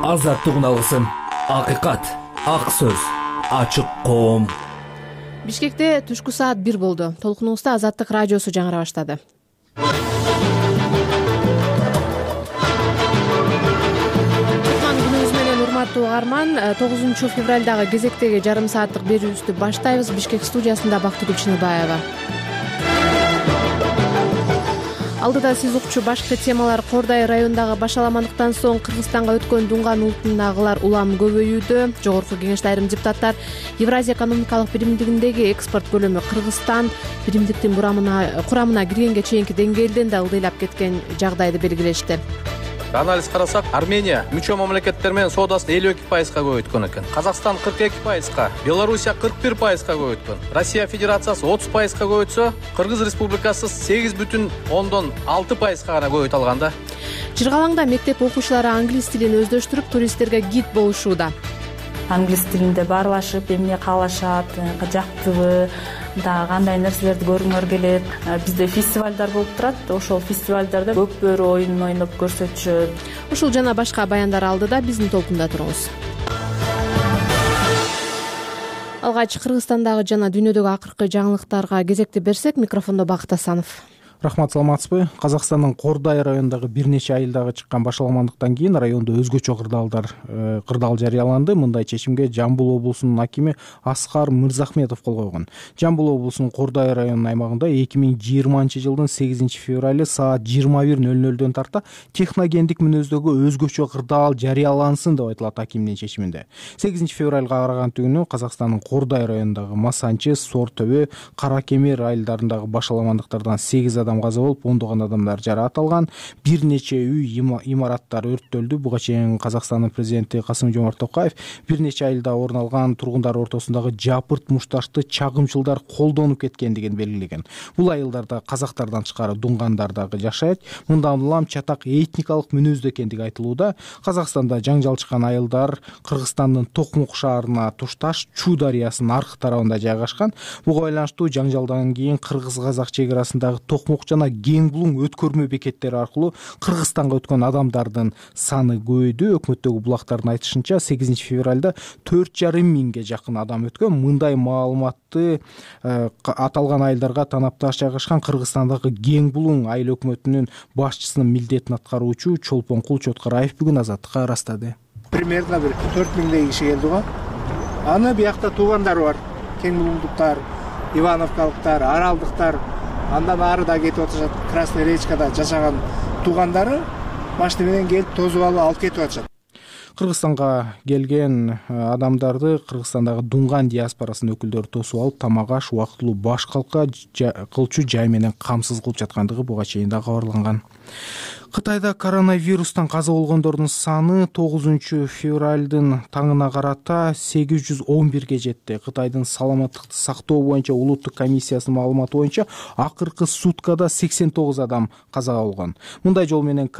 азаттыгын алгысың. Акыйкат, ак сөз, ачык коом. Бишкекте түшкү саат 1 болду. Толкунубузда Азаттык радиосу жаңыра баштады. Күнүңүз менен урматтуу угарман, 9 февралдагы кезектеги жарым сааттык берүүбүздү баштайбыз. Бишкек студиясында Бактыгүл Чыныбаева. Алдыда сиз укчу башкы темалар: Кордай районундагы башаламандыктан соң Кыргызстанга өткөн Дунган улутундагылар улам көбөйүүдө. Жогорку Кеңеште айрым депутаттар Евразия экономикалык биримдигиндеги экспорт көлөмү Кыргызстан биримдиктин курамына киргенге чейинки деңгээлден да ылдыйлап кеткен жагдайды белгилешти. Анализ карасак, Армения мүчө мамлекеттер менен соодасын 52%га көбөйткөн экен. Казакстан 42%га, Белоруссия 41%га көбөйткөн. Россия Федерациясы 30%га көбөйтсө, Кыргыз Республикасы 8,6%га гана көбөйтө алган да. Жыргалаңда мектеп окуучулары англис тилин өздөштүрүп, туристтерге гид болушууда. Англис тилинде баарлашып, эмне каалашат, жактыбы, да кандай нерселерди көргүңөр келет. Бизде фестивалдар болуп турат. Ошол фестивалдарда көк бөрү оюнун ойноп көрсөтүшөт. Ушул жана башка баяндар алдыда биздин толкунда туруңуз. Алгач Кыргызстандагы жана дүйнөдөгү акыркы жаңылыктарга кезекти берсек, микрофондо Бакыт Асанов. Рахмат, саламатсызбы? Казакстандын Кордай районундагы бир нече айылдагы чыккан башаламандыктан кийин райондо өзгөчө кырдаал жарыяланды. Мындай чечимге Жамбыл облусунун акими Аскар Мырзахметов кол койгон. Жамбыл облусунун Кордай районунун аймагында 2020-жылдын 8 февралы саат 21:00 тарта техногендик мүнөздөгү өзгөчө кырдаал жарыялансын деп айтылат акимдин чечиминде. 8 февралга караган түнү Казакстандын Кордай районундагы Масанчы, Сор Төбө, Кара Кемер айылдарындагы башаламандыктардан 8 адам каза болуп, ондогон адамдар жараат алган. Бир нече үй, имараттар өрттөлдү. Буга чейин Казакстандын президенти Касым-Жомарт Токаев бир нече айылда орун алган тургундар ортосундагы жапырт мушташты чагымчылдар колдонуп кеткендигин белгилеген. Бул айылдарда казактардан тышкары дунгандар дагы жашайт. Мындан улам чатак этникалык мүнөздө экендиги айтылууда. Казакстанда жаңжал чыккан айылдар Кыргызстандын Токмок шаарына тушташ Чу дарыясынын аркы тарабында жайгашкан. Буга байланыштуу жаңжалдан кийин кыргыз-казак чек арасындагы Токмок жана Кеңбулуң өткөрмө бекеттери аркылуу Кыргызстанга өткөн адамдардын саны көбөйдү. Өкмөттөгү булактардын айтышынча 8 февралда 4,5 миңге жакын адам өткөн. Мындай маалыматты аталган айылдарга танапташ жайгашкан Кыргызстандагы Кеңбулуң айыл өкмөтүнүн башчысынын милдетин аткаруучу Чолпонкул Чоткараев бүгүн Азаттыкка ырастады. Примерно 4 миңдей киши келди го. Аны биякта туугандар бар. Кеңбулуңдуктар, Ивановкалыктар, Аралдыктар, андан ары да кетип атышат. Красный речкада жашаган туугандары машина менен келип тозуп алып кетип атышат. Кыргызстанга келген адамдарды Кыргызстандагы Дунган диаспорасынын өкүлдөрү тосуп алып, тамак аш, убактылуу баш кылчу жай менен камсыз кылып жаткандыгы буга чейин да кабарланган. Кытайда коронавирустан каза болгондордун саны 9 февралдын таңына карата 811ге жетти. Кытайдын саламаттыкты сактоо боюнча улуттук комиссиясынын маалыматы боюнча акыркы суткада 89 адам каза болгон. Мындай жол менен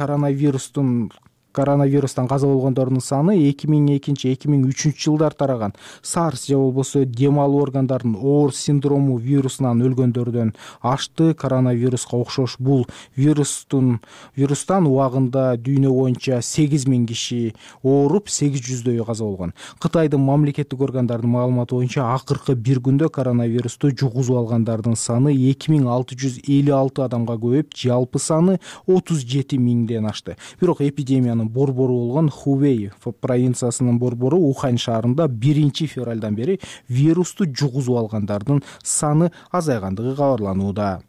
коронавирустан каза болгондордун саны 2002-2003 жылдар тараган. SARS же болбосо дем алуу органдарынын оор синдрому вирусунан өлгөндөрдөн ашты. Коронавируска окшош бул вирустан убагында дүйнө боюнча 8,000 киши ооруп, 800дөйү каза болгон. Кытайдын мамлекеттик органдарынын маалыматы боюнча акыркы бир күндө коронавирусту жугузуп алгандардын саны 2656 адамга көбөйүп, жалпы саны 37 миңден ашты. Бирок эпидемиянын борбору болгон Хувей провинциясынын борбору Ухань шаарында 1 февралдан бери вирусту жугузуп алгандардын саны азайгандыгы кабарланууда.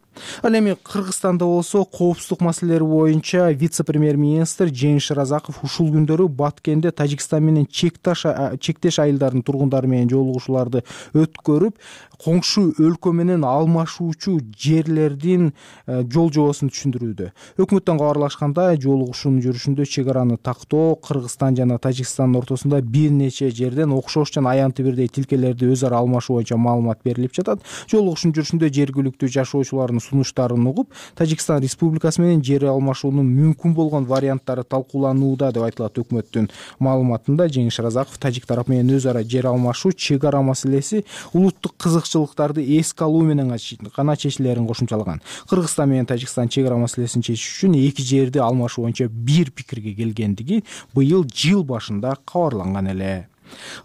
Ал эми Кыргызстанда болсо коопсуздук маселелери боюнча вице-премьер-министр Жеңиш Шыразаков ушул күндөрү Баткенде Тажикстан менен чектеш айылдардын тургундары менен жолугушууларды өткөрүп, коңшу өлкө менен алмашуучу жерлердин жол жобосун түшүндүрүүдө. Өкмөттөн кабарлашкандай, жолугушуунун жүрүшүндө чек араны тактоо Кыргызстан жана Тажикстандын ортосунда бир нече жерден окшош жана аянты бирдей тилкелерди өз ара алмашуу боюнча маалымат берилип жатат. Жолугушуунун жүрүшүндө жергиликтүү жашоочулардын сунуштарын угуп, Тажикстан Республикасы менен жер алмашуунун мүмкүн болгон варианттары талкууланууда деп айтылат. Өкмөттүн маалыматында Жеңиш Разаков тажик тарап менен өз ара жер алмашуу, чек ара маселеси улуттук кызыкчылыктарды эске алуу менен гана чечилерин кошумчалаган. Кыргызстан менен Тажикстан чек ара маселесин чечиш үчүн эки жерди алмашуу боюнча бир пикирге келгендиги быйыл жыл башында кабарланган эле.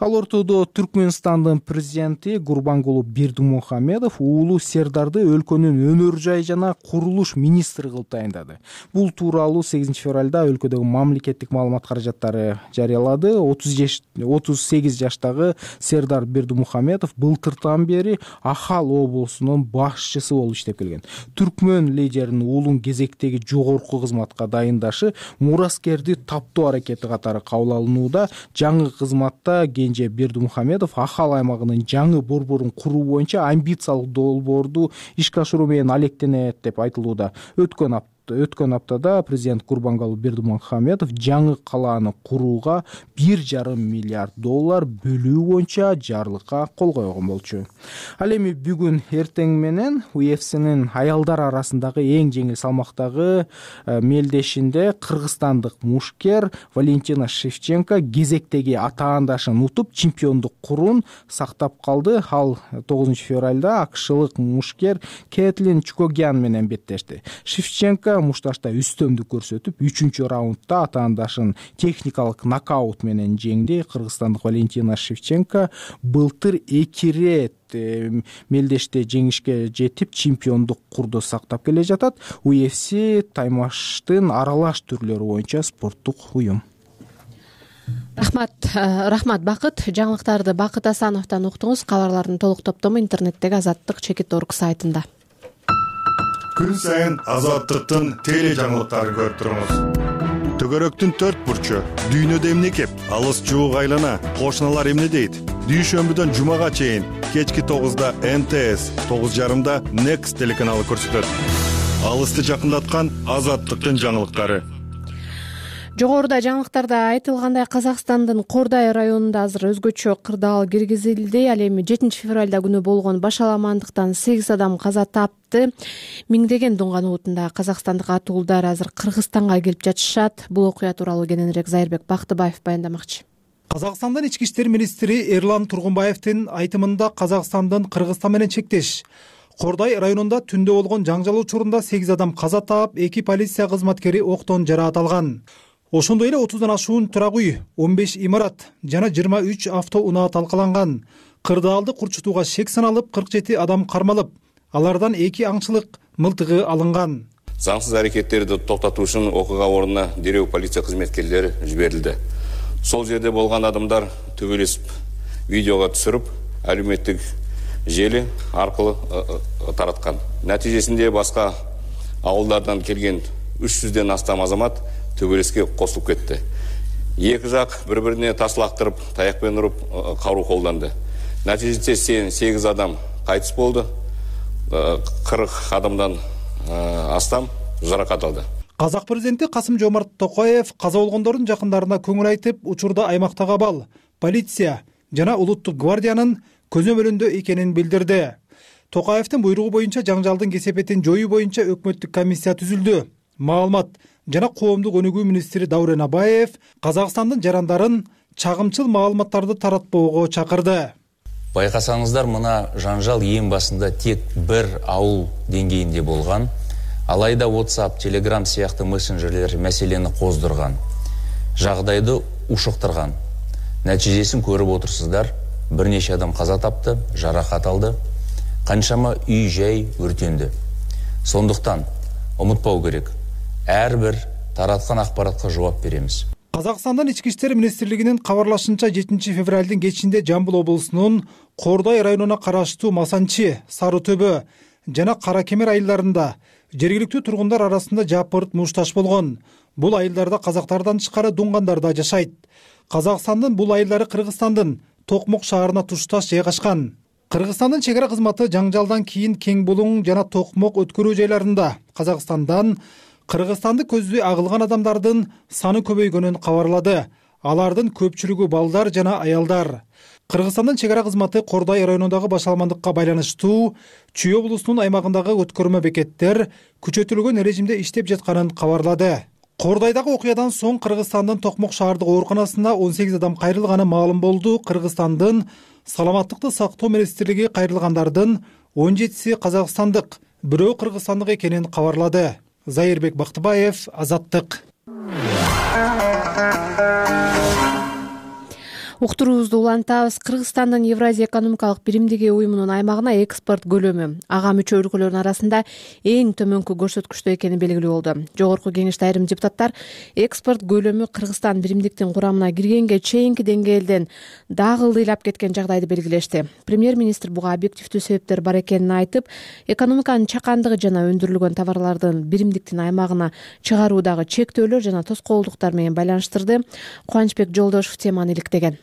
Ал ортодо Түркмөнстандын президенти Гурбангулу Бердимухамедов уулу Сердарды өлкөнүн өнөр жай жана курулуш министри кылып тайындады. Бул тууралуу 8 февралда өлкөдөгү мамлекеттик маалымат каражаттары жарыялады. 38 жаштагы Сердар Бердимухамедов былтыртан бери Ахал облусунун башчысы болуп иштеп келген. Түркмөн лидеринин уулун кезектеги жогорку кызматка дайындашы мураскерди таптоо аракети катары кабыл алынууда. Жаңы кызматта Генже Бердимухамедов Ахал аймагынын жаңы борборун куруу боюнча амбициялык долбоорду ишке ашыруу менен алектенет деп айтылууда. Өткөн аптада президент Гурбангулу Бердимухамедов жаңы калааны курууга $1,5 миллиард бөлүү боюнча жарлыкка кол койгон болчу. Ал эми бүгүн эртең менен UFC'нин аялдар арасындагы эң жеңил салмактагы мелдешинде кыргызстандык мушкер Валентина Шевченко кезектеги атаандашын утуп чемпиондук курун сактап калды. Ал 9 февралда акшылык мушкер Кетлин Чукогян менен беттешти. Шевченко мушташта үстөмдүк көрсөтүп, 3-чү раундда атаандашын техникалык нокаут менен жеңди. Кыргызстандык Валентина Шевченко былтыр 2 рет мелдеште жеңишке жетип, чемпиондук курду сактап келе жатат. UFC таймаштын аралаш түрлөрү боюнча спорттук уюм. Рахмат Бакыт. Жаңылыктарды Бакыт Асановдон уктуңуз. Кабарлардын толук топтому интернеттеги Азаттык.чекит.орг сайтында. Күн сайын Азаттыктын теле жаңылыктарын көрүп туруңуз. Төгөрөктүн 4 бурчу, дүйнөдө эмне кеп, алыс жуук айлана, кошуналар эмне дейт? Дүйшөмбүдөн жумага чейин кечки 9да МТС, 9:30да Next телеканалы көрсөтөт. Алысты жакындаткан Азаттыктын жаңылыктары. Жогоруда жаңылыктарда айтылгандай, Казакстандын Кордай районунда азыр өзгөчө кырдаал киргизилди. Ал эми 7 февралда күнү болгон башаламандыктан 8 адам каза тапты. Миңдеген дунган уутунда казакстандык атуулдар азыр Кыргызстанга келип жатышат. Бул окуя тууралуу кененирээк Зайырбек Бактыбаев баяндамакчы. Казакстандын ички иштер министри Эрлан Тургунбаевдин айтымында Казакстандын Кыргызстан менен чектеш Кордай районунда түндө болгон жаңжал учурунда 8 адам каза таап, 2 полиция кызматкери октон жараат алган. Ошондой эле 30дан ашуун турак үй, 15 имарат жана 23 автоунаа талкаланган. Кырдаалды курчутууга шек саналып, 47 адам кармалып, алардан 2 аңчылык мылтыгы алынган. Заңсыз аракеттерди токтотуу үчүн окуга ордуна дереу полиция кызметкерлери жиберилди. Сол жерде болгон адамдар төбөлөшүп, видеого түшүрүп, алюметтик жели аркылуу тараткан. Натыйжесинде башка ауылдардан келген 300ден астам азамат төбөлөскө косулуп кетти. Эки жак бири-бирине таш лактырып, таякпен уруп, каруу колдонду. Натыйжесинде 8 адам кайтыс болду. 40 адамдан астам жаракат алды. Казак президенти Касым-Жомарт Токаев каза болгондордун жакындарына көңүл айтып, учурда аймактагы абал, полиция жана улуттук гвардиянын көзөмөлүндө экенин билдирди. Токаевдин буйругу боюнча жаңжалдын кесепетин жоюу боюнча өкмөттүк комиссия түзүлдү. Маалымат жана коомдук өнүгүү министри Даурен Абаев Казакстандын жарандарын чагымчыл маалыматтарды таратпоого чакырды. Байкасаңыздар, мына жаңжал эң басында тек бир ауыл деңгейинде болгон. Алайда WhatsApp, Telegram сыяктуу мессенджерлер маселени коздурган, жагдайды ушуктурган. Натыйжесин көрүп отурсуздар. Бир нече адам каза тапты, жаракат алды. Канчама үй жай өртөндү. Сондуктан унутпау керек. Ар бир тараткан акпаратка жооп беребиз. Казакстандын ички иштер министрлигинин кабарлашынча 7 февралдын кечинде Жамбыл облусунун Кордай районуна караштуу Масанчы, Сары Төбө жана Кара Кемер айылдарында жергиликтүү тургундар арасында жапырт мушташ болгон. Бул айылдарда казактардан тышкары дунгандар да жашайт. Казакстандын бул айылдары Кыргызстандын Токмок шаарына тушташ жайгашкан. Кыргызстандын чек ара кызматы жаңжалдан кийин Кең Булуң жана Токмок өткөрүү жайларында Казакстандан Кыргызстанды көздөй агылган адамдардын саны көбөйгөнүн кабарлады. Алардын көпчүлүгү балдар жана аялдар. Кыргызстандын чек ара кызматы Кордай районундагы башаламандыкка байланыштуу Чүй облусунун аймагындагы өткөрмө бекеттер күчөтүлгөн режимде иштеп жатканын кабарлады. Кордайдагы окуядан соң Кыргызстандын Токмок шаардык ооруканасына 18 адам кайрылганы маалым болду. Кыргызстандын саламаттыкты сактоо министрлиги кайрылгандардын 17си казакстандык, бирөө кыргызстандык экенин кабарлады. Зайырбек Бактыбаев, Азаттык. Уктуруубузду улантабыз. Кыргызстандын Евразия экономикалык биримдиги уюмунун аймагына экспорт көлөмү ага мүчө өлкөлөрдүн арасында эң төмөнкү көрсөткүчтө экени белгилүү болду. Жогорку кеңеште айрым депутаттар экспорт көлөмү Кыргызстан биримдиктин курамына киргенге чейинки деңгээлден дагы ылдыйлап кеткен жагдайды белгилешти. Премьер-министр буга объективдүү себептер бар экенин айтып, экономиканын чакандыгы жана өндүрүлгөн товарлардын биримдиктин аймагына чыгаруудагы чектөөлөр жана тоскоолдуктар менен байланыштырды. Кубанычбек Жолдошов теманы иликтеген.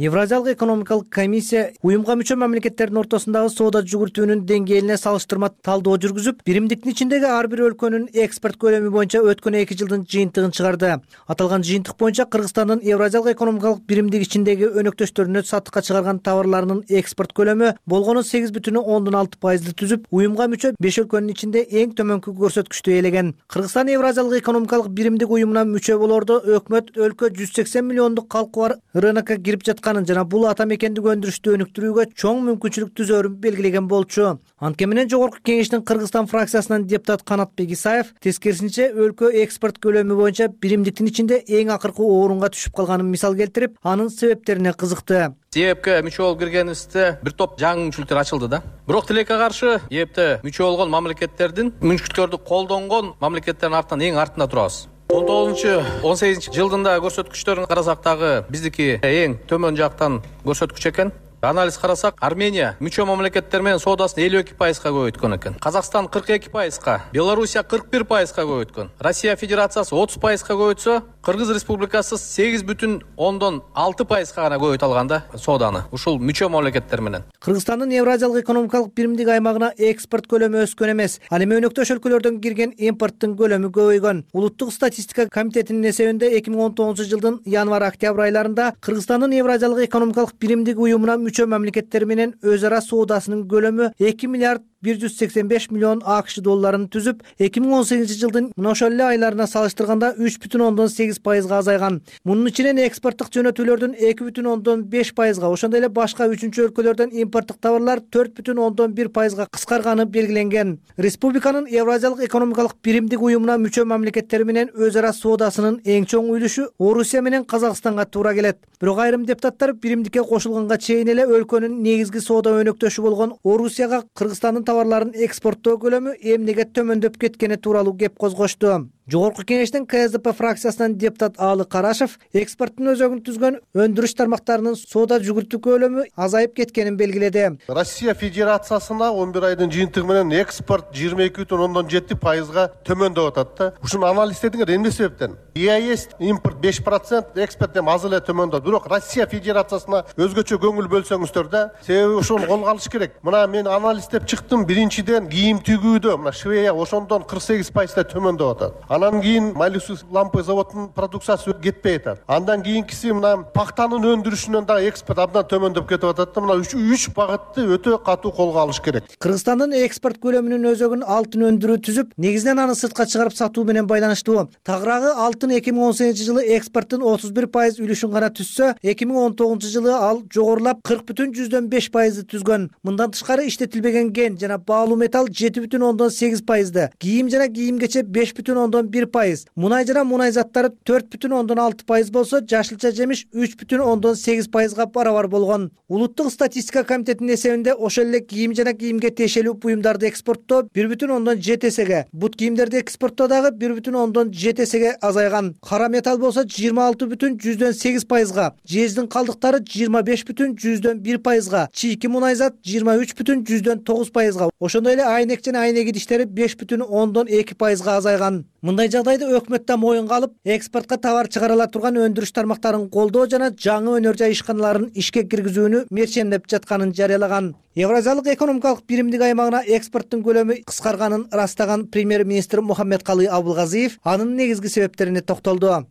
Евразиялык экономикалык комиссия уюмга мүчө мамлекеттердин ортосундагы соода жүгүртүүнүн деңгээлине салыштырма талдоо жүргүзүп, биримдиктин ичиндеги ар бир өлкөнүн экспорт көлөмү боюнча өткөн 2 жылдын жыйынтыгын чыгарды. Аталган жыйынтык боюнча Кыргызстандын Евразиялык экономикалык биримдик ичиндеги өнөктөштөрүнө сатыкка чыгарган товарларынын экспорт көлөмү болгону 8,6% түзүп, уюмга мүчө 5 өлкөнүн ичинде эң төмөнкү көрсөткүчтү ээлеген. Кыргызстан Евразиялык экономикалык биримдик уюмуна мүчө болордо өкмөт өлкө 180 миллиондук калкы бар рынокко кирип жаткан жана бул ата мекендик өндүрүштү өнүктүрүүгө чоң мүмкүнчүлүк түзөрүн белгилеген болчу. Анткени менен Жогорку кеңештин Кыргызстан фракциясынан депутат Канатбек Исаев тескерисинче өлкө экспорт көлөмү боюнча биримдиктин ичинде эң акыркы орунга түшүп калганын мисал келтирип, анын себептерине кызыкты. ЕЭПке мүчө болуп киргенибизде бир топ жаңы мүмкүнчүлүктөр ачылды да. Бирок тилекке каршы ЕЭПте мүчө болгон мамлекеттердин мүмкүнчүлүктөрдү колдонгон мамлекеттердин артынан эң артында турабыз. 19-18 жылдында көрсөткүчтөрүн карасак дагы биздики эң төмөн жактан көрсөткүч экен. Анализ карасак, Армения мүчө мамлекеттер менен соодасын 52%га көбөйткөн экен. Казакстан 42%га, Белоруссия 41%га көбөйткөн. Россия Федерациясы 30%га көбөйтсө, Кыргыз Республикасы 8,6%га гана көбөйтө алган да сооданы. Ушул мүчө мамлекеттер менен. Кыргызстандын Евразиялык экономикалык биримдик аймагына экспорт көлөмү өскөн эмес. Ал эми өнөктөш өлкөлөрдөн кирген импорттун көлөмү көбөйгөн. Улуттук статистика комитетинин эсебинде 2019 жылдын январь-октябрь айларында Кыргызстандын Евразиялык экономикалык биримдик уюмуна мүчө мамлекеттер менен өз ара соодасынын көлөмү 2 миллиард 185 миллион АКШ долларын түзүп, 2018 жылдын мына ошол эле айларына салыштырганда 3,8%га азайган. Мунун ичинен экспорттук жөнөтүүлөрдүн 2,5%га, ошондой эле башка 3-чү өлкөлөрдөн импорттук товарлар 4,1%га кыскарганы белгиленген. Республиканын Евразиялык экономикалык биримдик уюмуна мүчө мамлекеттер менен өз ара соодасынын эң чоң үлүшү Орусия менен Казакстанга туура келет. Бирок айрым депутаттар биримдикке кошулганга чейин эле өлкөнүн негизги соода өнөктөшү болгон Орусияга Кыргызстандын товарларын экспорттоо көлөмү эмнеге төмөндөп кеткени тууралуу кеп козгошту. Жогорку кеңештин КСДП фракциясынан депутат Аалы Карашев экспорттун өзөгүн түзгөн өндүрүш тармактарынын соода жүгүртүү көлөмү азайып кеткенин белгиледи. Россия Федерациясына 11 айдын жыйынтыгы менен экспорт 22,7%га төмөндөп атат да. Ушуну анализдедиңер эмне себептен? ЕАЭС импорт 5%, экспорт эми аз эле төмөндөп. Бирок Россия Федерациясына өзгөчө көңүл бөлсөңүздөр да, себеби ошону колго алыш керек. Мына мен анализдеп чыктым, биринчиден кийим тигүүдө мына Швея ошондон 48% төмөндөп атат. Андан кийин Малюсус лампы заводунун продукциясы кетпей атат. Андан кийинкиси мына пактанын өндүрүшүнөн дагы экспорт абдан төмөндөп кетип атат да. Мына 3 багытты өтө катуу колго алыш керек. Кыргызстандын экспорт көлөмүнүн өзөгүн алтын өндүрүү түзүп, негизинен аны сыртка чыгарып сатуу менен байланыштуу. Тагыраагы алтын 2018 жылы экспорттун 31% үлүшүн гана түзсө, 2019 жылы ал жогорулап 40,5% түзгөн. Мындан тышкары иштетилбеген ген жана баалуу металл 7,8%, кийим жана кийимгече 5,1%, мунай жана мунай заттары 4,6% болсо, жашылча жемиш 3,8%га барабар болгон. Улуттук статистика комитетинин эсебинде ошол эле кийим жана кийимге тиешелүү буюмдарды экспорттоо 1,7%ге, бут кийимдерди экспорттоо дагы 1,7%ге азайган. Кара металл болсо 26,8%га, жездин калдыктары 25,1%га, чийки мунай зат 23,9%га, ошондой эле айнек жана айнек идиштери 5,2%га азайган. Мындай жагдайды өкмөт да моюнга алып, экспортко товар чыгара ала турган өндүрүш тармактарын колдоо жана жаңы өнөр жай ишканаларын ишке киргизүүнү мерчемдеп жатканын жарыялаган. Евразиялык экономикалык биримдик аймагына экспорттун көлөмү кыскарганын ырастаган премьер-министр Мухаммедкалый Абылгазиев анын негизги себептерине токтолду.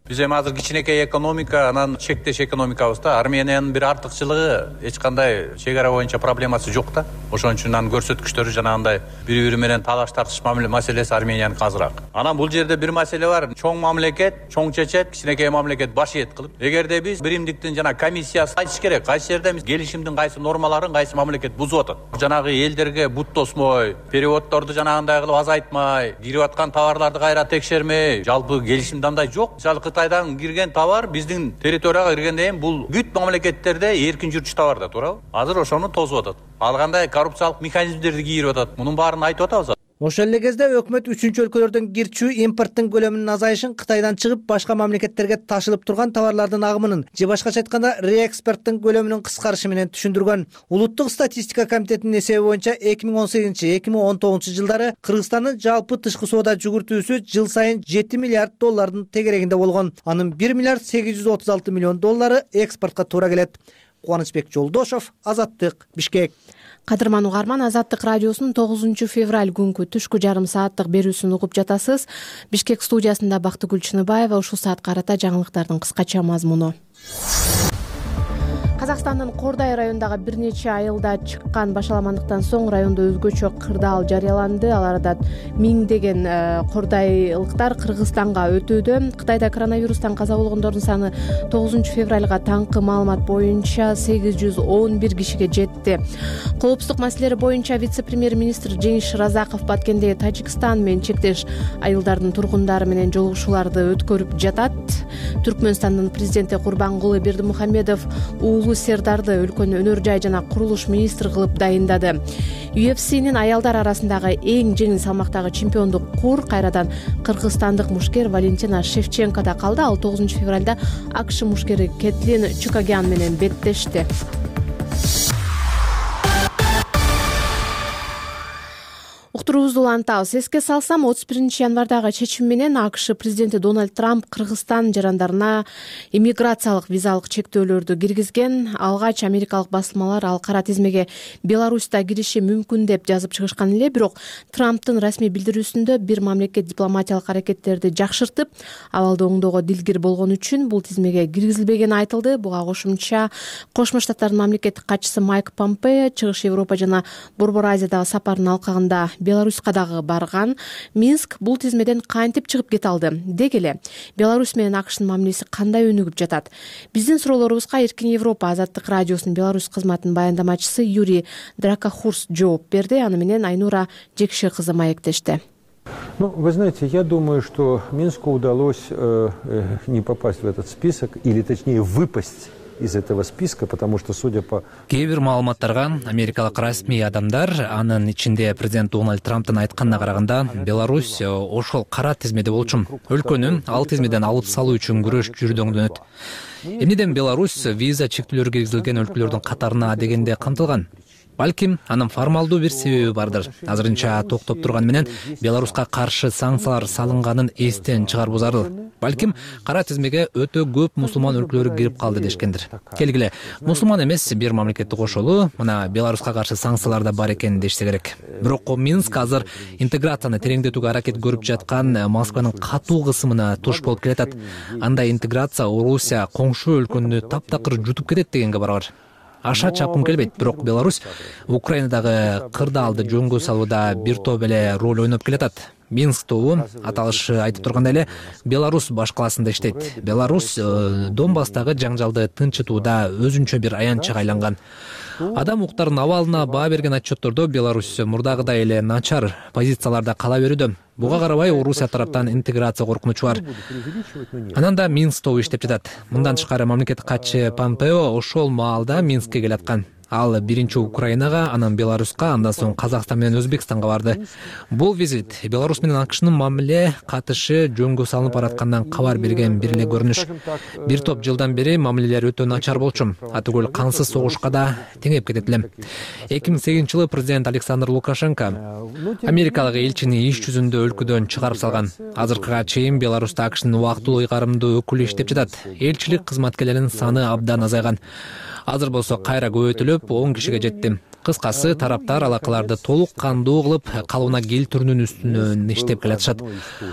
Биз эми азыр кичинекей экономика, анан чектеш экономикабызда Армениянын бир артыкчылыгы эч кандай чек ара боюнча проблемасы жок да. Ошон үчүн анын көрсөткүчтөрү жанагындай бири-бири менен талаш тартыш маселеси Арменияныкы азыраак. Анан бул жерде бир маселе бар. Чоң мамлекет, чоң чечет, кичинекей мамлекет баш ийет кылып. Эгерде биз биримдиктин жана комиссиясы айтыш керек, кайсы жерде биз келишимдин кайсы нормаларын кайсы мамлекет бузуп атат. Жанагы элдерге бут тосмой, переводдорду жанагындай кылып азайтмай, кирип аткан товарларды кайра текшермей, жалпы келишимде андай жок. Кытайдан кирген товар биздин территорияга киргенден кийин бул бүт мамлекеттерде эркин жүрчү товар да, туурабы? Азыр ошону тосуп атат. Ал кандай коррупциялык механизмдерди кийирип атат. Мунун баарын айтып атабыз. Ошол эле кезде өкмөт үчүнчү өлкөлөрдөн кирчүү импорттун көлөмүнүн азайышын, Кытайдан чыгып башка мамлекеттерге ташылып турган товарлардын агымынын же башкача айтканда реэкспорттун көлөмүнүн кыскарышы менен түшүндүргөн. Улуттук статистика комитетинин эсеби боюнча 2018-2019 жылдары Кыргызстандын жалпы тышкы соода жүгүртүүсү жыл сайын 7 миллиард доллардын тегерегинде болгон. Анын 1 миллиард 836 миллион доллары экспортко туура келет. Кубанычбек Жолдошов, Азаттык, Бишкек. Кадырман угарман, Азаттык радиосунун 9 февраль күнкү түшкү жарым сааттык берүүсүн угуп жатасыз. Бишкек студиясында Бактыгүл Чыныбаева. Ушул саатка карата жаңылыктардын кыскача мазмуну. Казакстандын Кордай районундагы бир нече айылда чыккан башаламандыктан соң райондо өзгөчө кырдаал жарыяланды. Ал арада миңдеген кордайлыктар Кыргызстанга өтүүдө. Кытайда коронавирустан каза болгондордун саны 9 февралга таңкы маалымат боюнча 811 кишиге жетти. Коопсуздук маселелери боюнча вице-премьер-министр Жеңиш Шыразаков Баткендеги Тажикстан менен чектеш айылдардын тургундары менен жолугушууларды өткөрүп жатат. Түркмөнстандын президенти Курбангулы Бердимухамедов уулу Сердарды өлкөнүн өнөр жай жана курулуш министри кылып дайындады. UFC'нин аялдар арасындагы эң жеңил салмактагы чемпиондук кур кайрадан кыргызстандык мушкер Валентина Шевченкода калды. Ал 9 февралда АКШ мушкери Кетлин Чукагян менен беттешти. Уктуруубузду улантабыз. Эске салсам, 31 январдагы чечим менен АКШ президенти Дональд Трамп Кыргызстан жарандарына иммиграциялык визалык чектөөлөрдү киргизген. Алгач америкалык басылмалар ал кара тизмеге Беларуста кириши мүмкүн деп жазып чыгышкан эле, бирок Трамптын расмий билдирүүсүндө бир мамлекет дипломатиялык аракеттерди жакшыртып, абалды оңдоого дилгир болгон үчүн бул тизмеге киргизилбегени айтылды. Буга кошумча Кошмо Штаттардын мамлекеттик катчысы Майк Помпео Чыгыш Европа жана Борбор Азиядагы сапарынын алкагында Беларуска дагы барган. Минск бул тизмеден кантип чыгып кете алды? Деги эле Беларусь менен АКШнын мамилеси кандай өнүгүп жатат? Биздин суроолорубузга Эркин Европа Азаттык радиосунун Беларусь кызматынын баяндамачысы Юрий Дракохурс жооп берди. Аны менен Айнура Жекши кызы маектешти. Вы знаете, я думаю, что Минску удалось не попасть в этот список, или точнее выпасть из этого списка, потому что, судя по... Кээ бир маалыматтарга америкалык расмий адамдар, анын ичинде президент Дональд Трамптын айтканына караганда, Беларусь ошол кара тизмеде болчу. Өлкөнү ал тизмеден алып салуу үчүн күрөш жүрүдөнгөнөт. Эмнеден Беларусь виза чектөөлөрү киргизилген өлкөлөрдүн катарына дегенде камтылган? Балким анын формалдуу бир себеби бардыр. Азырынча токтоп турган менен Беларуска каршы санкциялар салынганын эстен чыгаруу зарыл. Балким кара тизмеге өтө көп мусулман өлкөлөрү кирип калды дешкендир. Келгиле, мусулман эмес бир мамлекетти кошолу, мына Беларуска каршы санкциялар да бар экенин дешсе керек. Бирок Минск азыр интеграцияны тереңдетүүгө аракет көрүп жаткан Москванын катуу кысымына туш болуп келатат. Андай интеграция Орусия коңшу өлкөнү таптакыр жутуп кетет дегенге барабар. Аша чапкым келбейт, бирок Беларусь Украинадагы кырдаалды жөнгө салууда бир топ эле роль ойноп келатат. Минск тобу аталышы айтып тургандай эле Беларусь башкаласында иштейт. Беларусь Донбасстагы жаңжалды тынчытууда өзүнчө бир аянтчыга айланган. Адам укуктарынын абалына баа берген отчеттордо Беларусь мурдагыдай эле начар позицияларда кала берүүдө. Буга карабай Орусия тараптан интеграция коркунучу бар. Анан да Минск тобу иштеп жатат. Мындан тышкары мамлекеттик катчы Помпео ошол маалда Минскке келаткан. Ал биринчи Украинага, анан Беларуска, андан соң Казакстан менен Өзбекстанга барды. Бул визит Беларусь менен АКШнын мамиле катышы жөнгө салынып бараткандан кабар берген бир эле көрүнүш. Бир топ жылдан бери мамилелер өтө начар болчу. Атүгүл кансыз согушка да теңеп кетет эле. 2008-жылы президент Александр Лукашенко америкалык элчини иш жүзүндө өлкөдөн чыгарып салган. Азыркыга чейин Беларуста АКШнын убактылуу ыйгарымдуу өкүлү иштеп жатат. Элчилик кызматкерлеринин саны абдан азайган. Азыр болсо кайра көбөйтүлүп 10 кишиге жетти. Кыскасы, тараптар алакаларды толук кандуу кылып калыбына келтирүүнүн үстүнөн иштеп келатышат.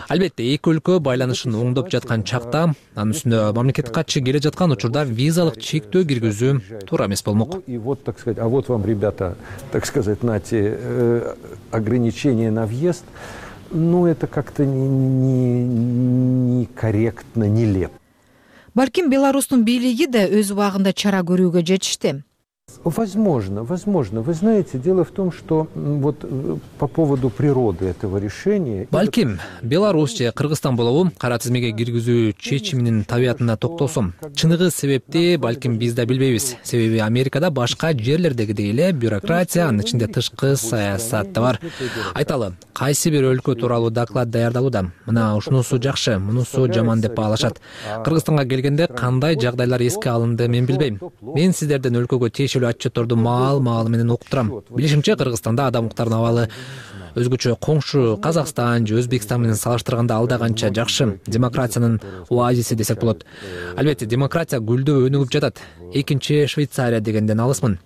Албетте, эки өлкө байланышын оңдоп жаткан чакта анын үстүнө мамлекет катчы келе жаткан учурда визалык чектөө киргизүү туура эмес болмок. И вот, так сказать, а вот вам, ребята, так сказать, нате ограничения на въезд, ну это как-то некорректно, нелепо. Балким Беларустун бийлиги да өз убагында чара көрүүгө жетишти. Возможно. Вы знаете, дело в том, что вот по поводу природы этого решения... Балким, Беларусь же Кыргызстан болобу кара тизмеге киргизүү чечиминин табиятына токтолсом. Чыныгы себепти балким биз да билбейбиз. Себеби Америкада башка жерлердегидей эле бюрократия, анын ичинде тышкы саясат да бар. Айталы, кайсы бир өлкө тууралуу доклад даярдалууда. Мына ушунусу жакшы, мунусу жаман деп баалашат. Кыргызстанга келгенде кандай жагдайлар эске алынды мен билбейм. Мен сиздерден өлкөгө тиешелүү отчетторду маал менен окуп турам. Билишимче, Кыргызстанда адам укуктарынын абалы өзгөчө коңшу Казакстан же Өзбекстан менен салыштырганда алда канча жакшы. Демократиянын оазиси десек болот. Албетте, демократия гүлдөп өнүгүп жатат. Экинчи Швейцария дегенден алысмын.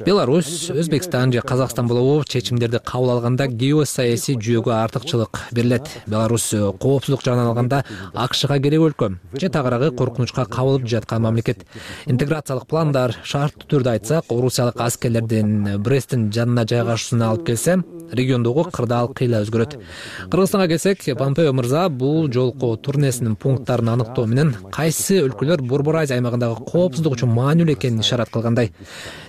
Беларусь, Өзбекстан же Казакстан болобу чечимдерди кабыл алганда геосаясий жүйөгө артыкчылык берилет. Беларусь коопсуздук жагынан алганда АКШга керек өлкө же тагыраагы коркунучка кабылып жаткан мамлекет. Интеграциялык пландар, шарттуу түрдө айтсак, орусиялык аскерлердин Бресттин жанына жайгашуусуна алып келсе, региондогу кырдаал кыйла өзгөрөт. Кыргызстанга келсек, Помпео мырза бул жолку турнесинин пункттарын аныктоо менен кайсы өлкөлөр Борбор Азия аймагындагы коопсуздук үчүн маанилүү экенин ишарат кылгандай.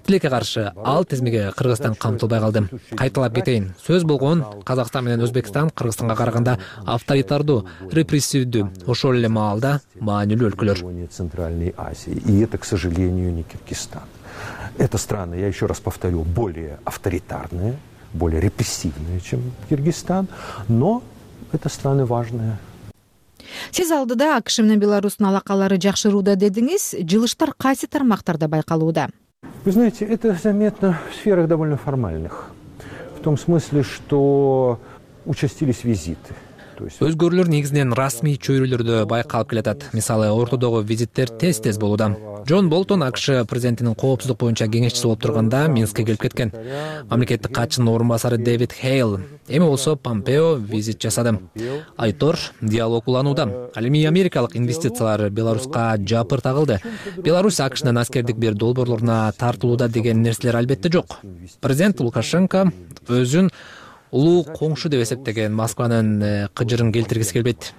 Тилекке каршы ал тизмеге Кыргызстан камтылбай калды. Кайталап кетейин. Сөз болгон Казакстан менен Өзбекстан Кыргызстанга караганда авторитардуу, репрессивдүү, ошол эле маалда маанилүү өлкөлөр. Центральной Азии. И это, к сожалению, не Киргизстан. Это страны, я еще раз повторю, более авторитарные, более репрессивные, чем Киргизстан, но это страны важные. Сиз алдыда АКШ менен Беларустун алакалары жакшырууда дедиңиз. Жылыштар кайсы тармактарда байкалууда? Вы знаете, это заметно в сферах довольно формальных. В том смысле, что участились визиты. Өзгөрүүлөр негизинен расмий чөйрөлөрдө байкалып келатат. Мисалы, ортодогу визиттер тез болууда. Джон Болтон АКШ президентинин коопсуздук боюнча кеңешчиси болуп турганда Минскке келип кеткен. Мамлекеттик катчынын орун басары Дэвид Хейл. Эми болсо Помпео визит жасады. Айтор диалог уланууда. Ал эми америкалык инвестициялар Беларуска жапыр тагылды. Беларусь АКШнын аскердик бир долбоорлоруна тартылууда деген нерселер албетте жок. Президент Лукашенко өзүн улуу коңшу деп эсептеген Москванын кыжырын келтиргиси келбейт.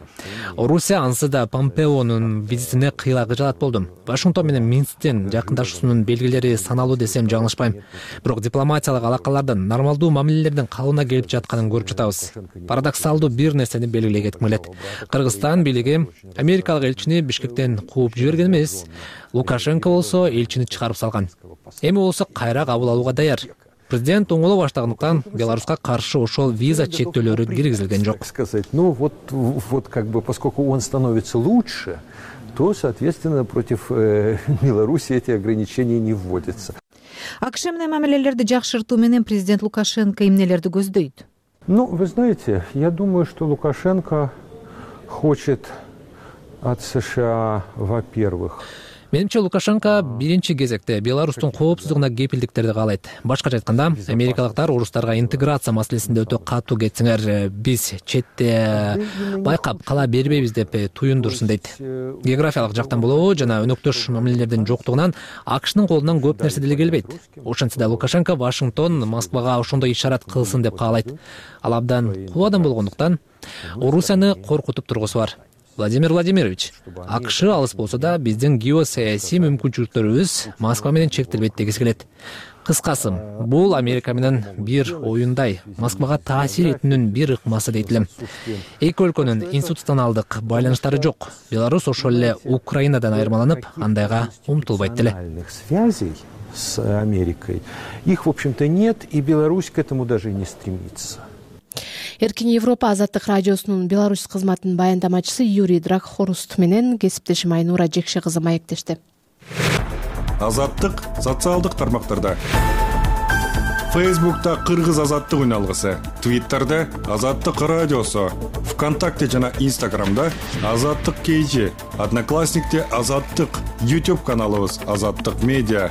Орусия ансы да Помпеонун визитине кыйла кыжалат болду. Вашингтон менен Минсктин жакындашуусунун белгилери саналуу десем жаңылышпайм. Бирок дипломатиялык алакалардын нормалдуу мамилелердин калыбына келип жатканын көрүп жатабыз. Парадоксалдуу бир нерсени белгилей кетким келет. Кыргызстан бийлиги америкалык элчини Бишкектен кууп жиберген эмес. Лукашенко болсо элчини чыгарып салган. Эми болсо кайра кабыл алууга даяр. Президент оңоло баштагандыктан Беларуска каршы ошол виза чектөөлөрү киргизилген жок. Ну вот как бы, поскольку он становится лучше, то, соответственно, против Беларуси эти ограничения не вводятся. АКШ менен мамилелерди жакшыртуу менен президент Лукашенко эмнелерди көздөйт? Ну, вы знаете, я думаю, что Лукашенко хочет от США, во-первых, Менимче, Лукашенко биринчи кезекте Беларустун коопсуздугуна кепилдиктерди каалайт. Башкача айтканда, америкалыктар орустарга интеграция маселесинде өтө катуу кетсеңер, биз четте байкап кала бербейбиз деп туюндурсун дейт. Географиялык жактан болобу жана өнөктөш мамилелердин жоктугунан АКШнын колунан көп нерсе деле келбейт. Ошентсе да Лукашенко Вашингтон Москвага ошондой ишарат кылсын деп каалайт. Ал абдан кул адам болгондуктан Орусияны коркутуп тургусу бар. Владимир Владимирович, АКШ алыс болсо да биздин геосаясий мүмкүнчүлүктөрүбүз Москва менен чектелбейт дегиси келет. Кыскасы, бул Америка менен бир оюндай, Москвага таасир этүүнүн бир ыкмасы дейт элем. Эки өлкөнүн институционалдык байланыштары жок. Беларусь ошол эле Украинадан айырмаланып, андайга умтулбайт деле. Связей с Америкой их, в общем-то, нет, и Беларусь к этому даже и не стремится. Эркин Европа Азаттык радиосунун Беларусь кызматынын баяндамачысы Юрий Дракхоруст менен кесиптешим Айнура Жекше кызы маектешти. Азаттык социалдык тармактарда. Фейсбукта Кыргыз азаттык үналгысы, Твиттерде Азаттык радиосу, ВКонтакте жана Инстаграмда Азаттык KG, Одноклассникте Азаттык, YouTube каналыбыз Азаттык медиа.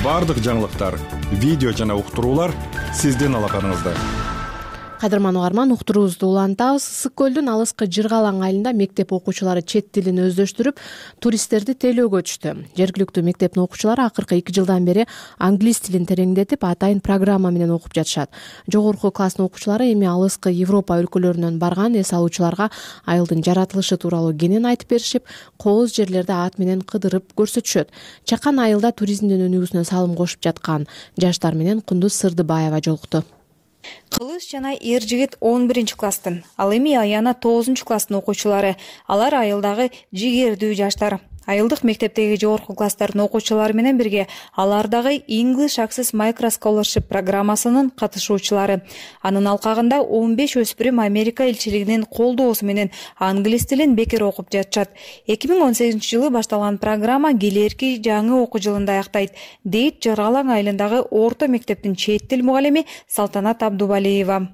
Бардык жаңылыктар видео жана уктуруулар сиздин алаканыңызда. Кадырман угарман, уктуруубузду улантабыз. Ысык көлдүн алыскы Жыргалаң айылында мектеп окуучулары чет тилин өздөштүрүп, туристтерди тейлөөгө түштү. Жергиликтүү мектептин окуучулары акыркы 2 жылдан бери англис тилин тереңдетип, атайын программа менен окуп жатышат. Жогорку класстын окуучулары эми алыскы Европа өлкөлөрүнөн барган эс алуучуларга айылдын жаратылышы тууралуу кенен айтып беришип, кооз жерлерди ат менен кыдырып көрсөтүшөт. Чакан айылда туризмдин өнүгүүсүнө салым кошуп жаткан жаштар менен Кундуз Сырдыбаева жолукту. Кылыч жана эр жигит 11-класстын, ал эми Аяна 9-класстын окуучулары. Алар айылдагы жигердүү жаштар. Айылдык мектептеги жогорку класстардын окуучулары менен бирге алар дагы English Access Micro Scholarship программасынын катышуучулары. Анын алкагында 15 өспүрүм Америка элчилигинин колдоосу менен англис тилин бекер окуп жатышат. 2018-жылы башталган программа келерки жаңы окуу жылында аяктайт, дейт Жыргалаң айылындагы орто мектептин чет тил мугалими Салтанат Абдубалиева.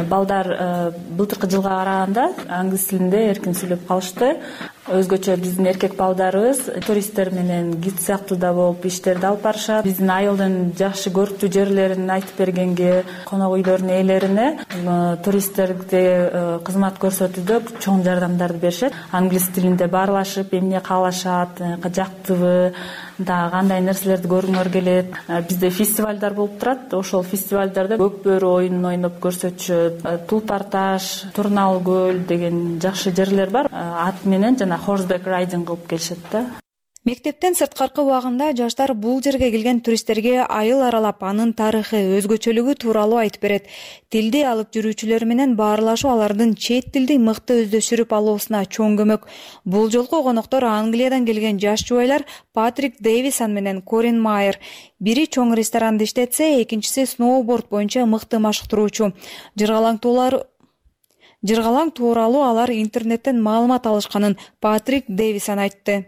Балдар былтыркы жылга караганда англис тилинде эркин сүйлөп калышты. Өзгөчө биздин эркек балдарыбыз туристтер менен гид сыяктуу да болуп иштерди алып барышат. Биздин айылдын жакшы көрктүү жерлерин айтып бергенге, конок үйлөрдүн ээлерине туристтерге кызмат көрсөтүүдө чоң жардамдарды беришет. Англис тилинде баарлашып, эмне каалашат, жактыбы, да кандай нерселерди көргүңөр келет. Бизде фестивалдар болуп турат. Ошол фестивалдарда көк бөрү оюнун ойноп көрсөтүшөт. Тулпар таш, Турнал көл деген жакшы жерлер бар. Ат менен жана horseback riding кылып келишет да. Мектептен сырткаркы убагында жаштар бул жерге келген туристтерге айыл аралап, анын тарыхы, өзгөчөлүгү тууралуу айтып берет. Тилди алып жүрүүчүлөр менен баарлашуу алардын чет тилди мыкты өздөштүрүп алуусуна чоң көмөк. Бул жолку коноктор Англиядан келген жаш жубайлар Патрик Дэвисон менен Корин Майер. Бири чоң ресторанды иштетсе, экинчиси сноуборд боюнча мыкты машыктыруучу. Жыргалаң тууралуу алар интернеттен маалымат алышканын Патрик Дэвисон айтты.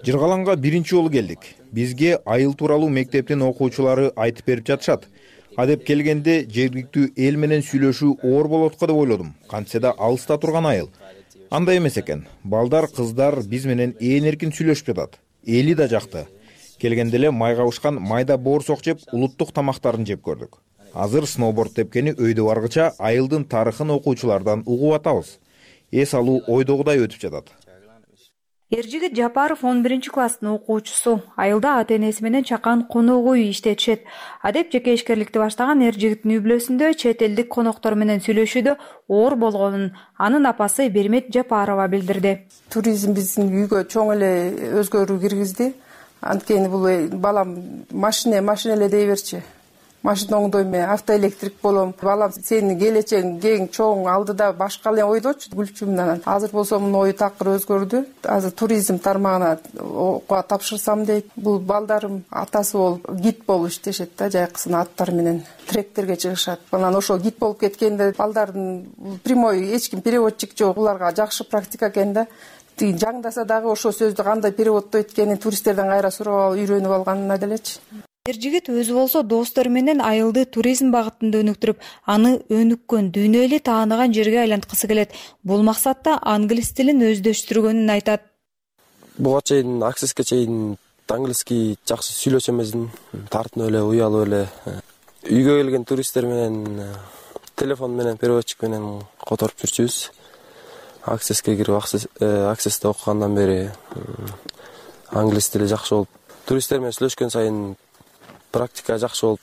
Жыргалаңга биринчи жолу келдик. Бизге айыл тууралуу мектептин окуучулары айтып берип жатышат. Адеп келгенде жергиликтүү эл менен сүйлөшүү оор болот го деп ойлодум. Кантсе да алыста турган айыл. Андай эмес экен. Балдар, кыздар биз менен ээн эркин сүйлөшүп жатат. Эли да жакты. Келгенде эле майга бышкан майда боорсок жеп, улуттук тамактарын жеп көрдүк. Азыр сноуборд тепкени өйдө баргыча айылдын тарыхын окуучулардан угуп атабыз. Эс алуу ойдогудай өтүп жатат. Эржигит Жапаров 11-класстын окуучусу. Айылда ата-энеси менен чакан конок үй иштетишет. Адеп жеке ишкерликти баштаган эржигиттин үй-бүлөсүндө чет элдик коноктор менен сүйлөшүүдө оор болгонун анын апасы Бермет Жапарова билдирди. Туризм биздин үйгө чоң эле өзгөрүү киргизди. Анткени бул балам машина эле дей берчи. Машина оңдойм, автоэлектрик болом. Балам сенин келечегиң кең, чоң, алдыда башка эле ойдочу, күлчүмүн. Азыр болсо мунун ою такыр өзгөрдү. Азыр туризм тармагына окууга тапшырсам дейт. Бул балдарым атасы болуп, гид болуп иштешет да, жайкысын аттар менен тректерге чыгышат. Анан ошол гид болуп кеткенде балдардын прямой эч ким переводчик жок, буларга жакшы практика экен да. Жаңдаса дагы ошол сөздү кандай переводдоо эткенин туристтерден кайра сурап алып үйрөнүп алганына делечи. Эржигит өзү болсо достору менен айылды туризм багытында өнүктүрүп, аны өнүккөн, дүйнө эли тааныган жерге айланткысы келет. Бул максатта англис тилин өздөштүргөнүн айтат. Буга чейин Accessке чейин англиски жакшы сүйлөшө эмесмин, тартынып эле, уялып эле. Үйгө келген туристтер менен телефон менен переводчик менен которуп жүрчүбүз. Accessке кирип, Accessте окугандан бери англис тили жакшы болуп, туристтер менен сүйлөшкөн сайын практика жакшы болуп,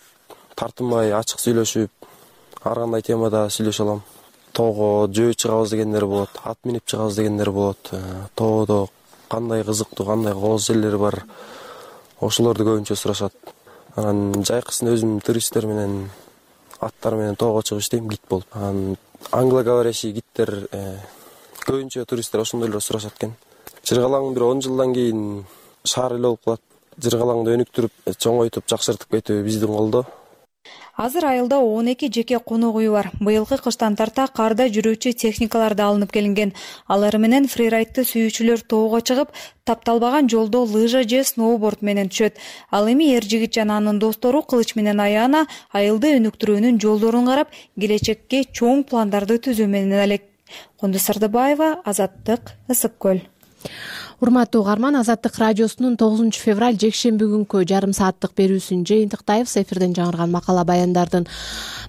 тартынбай, ачык сүйлөшүп, ар кандай темада сүйлөшө алам. Тоого жөө чыгабыз дегендер болот, ат минип чыгабыз дегендер болот. Тоодо кандай кызыктуу, кандай кооз жерлер бар, ошолорду көбүнчө сурашат. Анан жайкысын өзүм туристтер менен, аттар менен тоого чыгып иштейм, гид болуп. Анан англоговорящий гидтер көбүнчө туристтер ошондойлор сурашат экен. Жыргалаң бир 10 жылдан кийин шаар эле болуп калат. Жыргалаңды өнүктүрүп, чоңойтуп, жакшыртып кетүү биздин колдо. Азыр айылда 12 жеке конок үй бар. Быйылкы кыштан тарта карда жүрүүчү техникалар да алынып келинген. Алар менен фрирайдты сүйүүчүлөр тоого чыгып, тапталбаган жолдо лыжа же сноуборд менен түшөт. Ал эми Эржигит жана анын достору Кылыч менен Аяна айылды өнүктүрүүнүн жолдорун карап, келечекке чоң пландарды түзүү менен элек. Кундуз Сырдыбаева, Азаттык, Ысык көл. Урматтуу угарман, Азаттык радиосунун 9 февраль жекшемби күнкү жарым сааттык берүүсүн жыйынтыктайбыз. Эфирден жаңырган макала баяндардын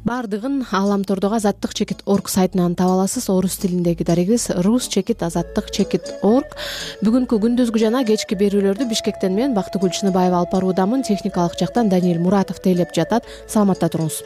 бардыгын Ааламтордогу azattik.org сайтынан таба аласыз. Орус тилиндеги дарегибиз rus.azattik.org. Бүгүнкү күндүзгү жана кечки берүүлөрдү Бишкектен мен Бактыгүл Чыныбаева алып баруудамын. Техникалык жактан Даниил Муратов тейлеп жатат. Саламатта туруңуз.